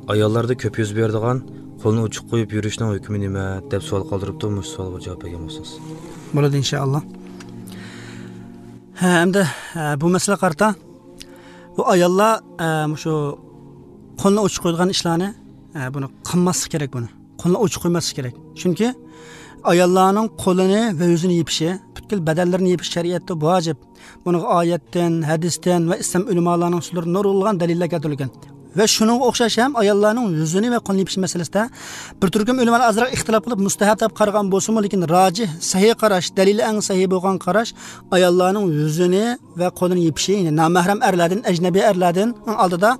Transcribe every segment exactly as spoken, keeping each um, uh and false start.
Ayollarda ko'p yuz beradigan qo'lni ochiq qo'yib yurishning hukmi nima deb savol qoldiribdi. Mush savolga javob bergan bo'lsangiz. Bo'ladi inshaalloh. Ha, endi bu masala qarta bu ayollar shu qo'lni ochiq qo'yadigan ishlarni buni qilmaslik kerak, buni. Qo'lni ochiq qo'ymaslik kerak. Chunki ayollarning qo'lini va yuzini yepishi, butkul badanlarini yepish shariatda vojib. Buni oyatdan, hadisdan va islom ulamolarining so'zlari nurulg'an dalillar keltirilgan. Va shunga o'xshash ham ayollarning yuzini va qo'lini yepish masalasida bir turkum ulamolar ozroq ixtilof qilib mustahab deb qaragan bo'lsa-mu, lekin rojih, sahih qarash, dalili eng sahih bo'lgan qarash ayollarning yuzini va qo'lini yepishi, ya'ni nomahram erlardan, ajnabiy erlardan oldida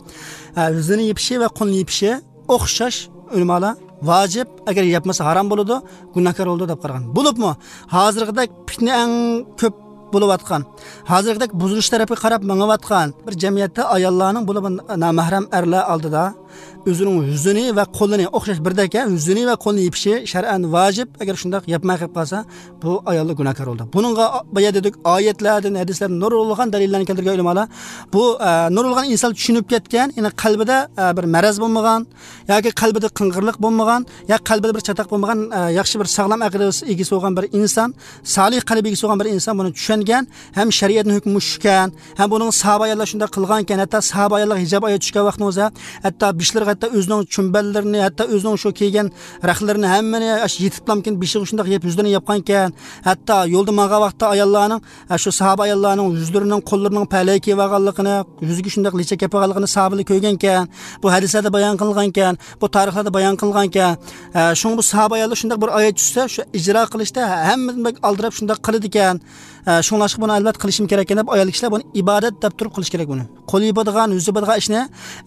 yuzini yepishi va qo'lini yepishi o'xshash ulamolar vojib, agar yapmasa harom bo'ladi, gunohkor bo'ladi deb qaragan. Bo'libmi, hozirgidek fitna eng ko'p bo'layotgan, hozirgidek buzilish tarafiga qarab mangayotgan bir jamiyatda ayollarning bo'lib nomahram erlar oldida o'zining yuzini va qo'lini o'xshash birdek yuzini va qo'lini yepishi shar'an vojib. Agar shundoq yapmay qolib qolsa, bu ayollar gunohkor bo'ldi. Buningga boya dedik, oyatlardan, hadislardan nurulg'an dalillarni keltirgan ulamolar bu nurulg'an inson tushunib ketgan, ya'ni qalbida bir maraz bo'lmagan yoki qalbida qing'irlik bo'lmagan yoki qalbida bir chataq bo'lmagan, yaxshi bir sog'lom aql egasi bo'lgan bir inson, solih qalb egasi bo'lgan bir inson buni tushungan, ham shariatning hukmi tushgan, ham buning sahoba ayollar shunday qilgan ekan, hatto sahoba ayollar hijob oyat tushgan vaqtni o'zi, hatto bishlar, hatto o'zining chumballarini, hatto o'zining shu kiygan raxlarini hammani yetiblamkin beshig'i shundoq yeb yuzlarini yopgan ekan. Hatto yo'lda mangan vaqtda ayollarning shu sahoba ayollarning yuzlarining, qo'llarining palay kiyib olganligini, yuziga shundoq lichak yopib olganligini sahobalar ko'rgan ekan. Bu hadislarda bayon qilingan ekan, bu tarixlarda bayon qilingan ekan. Shunga bu sahoba ayollar shundoq bir oyat tushsa, shu ijro qilishda hammadan aldirab shundoq qiladi ekan. Shunglashqa buni albatta qilishim kerak ekan deb ayol kishilar buni ibodat deb turib qilish kerak buni. Qo'l yopadigan, yuz yopadigan ishni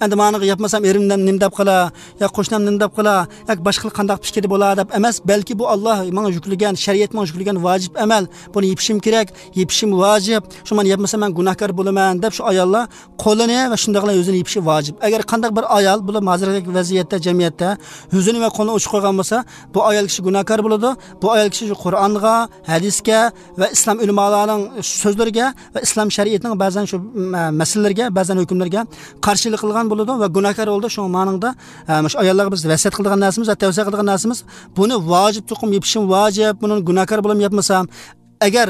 endi ma'niga yapmasam erimdan nim deb qila, yo qo'shnim nim deb qila, yoki boshqa qandaq fikri bo'ladi deb emas, balki bu Alloh menga yuklagan, shariat menga yuklagan vojib amal. Buni yepishim kerak, yepishim vojib. Shu meni yapmasam men gunohkor bo'laman deb shu ayollar qo'lini va shundaqla yuzini yepishi vojib. Agar qandaq bir ayol bu hozirgi vaziyatda jamiyatda yuzini va qo'lini ochiq qo'ygan bo'lsa, bu ayol kishi gunohkor bo'ladi. Bu ayol kishi Qur'onga, hadisga va islom ulamolarining so'zlariga va islom shariatining ba'zan shu masalalarga, ba'zan hukmlarga qarshilik qilgan bo'ladi va gunohkor bo'ldi. Shu ma'noda shu ayollarga biz vasiyat qilgan narsamiz va tavsiya qilgan narsamiz buni vojib tuqum yepishim vojib, buni gunohkor bo'lam yapmasam, agar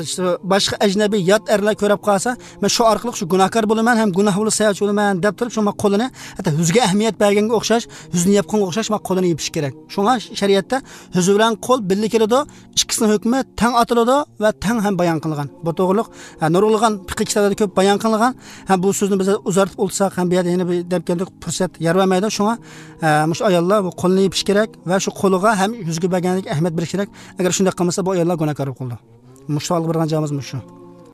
boshqa ajnabiy yot erlar ko'rib qolsa, men shu orqali shu gunohkor bo'laman, ham gunoh bo'lsa sayoch bo'laman deb turib, shu qo'lini hatto yuzga ahamiyat berganga o'xshash, yuzini yopganga o'xshash qo'lini yepish kerak. Shunga shariatda yuz bilan qo'l birga keladi, ikkisining hukmi tang otiladi va tang ham bayon qilingan. Bu to'g'riliq nurulg'an fiqh kitoblarida ko'p bayon qilingan. Ham bu so'zni biz uzartib o'tsak, ham bu yerda yana bir deb keldik, fursat yer bermaydi. Shunga shu ayollar bu qo'lini yepish kerak va shu qo'liga ham yuzga berganlik ahamiyat berish kerak. Agar shunday qilmasa, bu ayollar gunohkor bo'ladi. Mush savolga bergan javobimiz shu.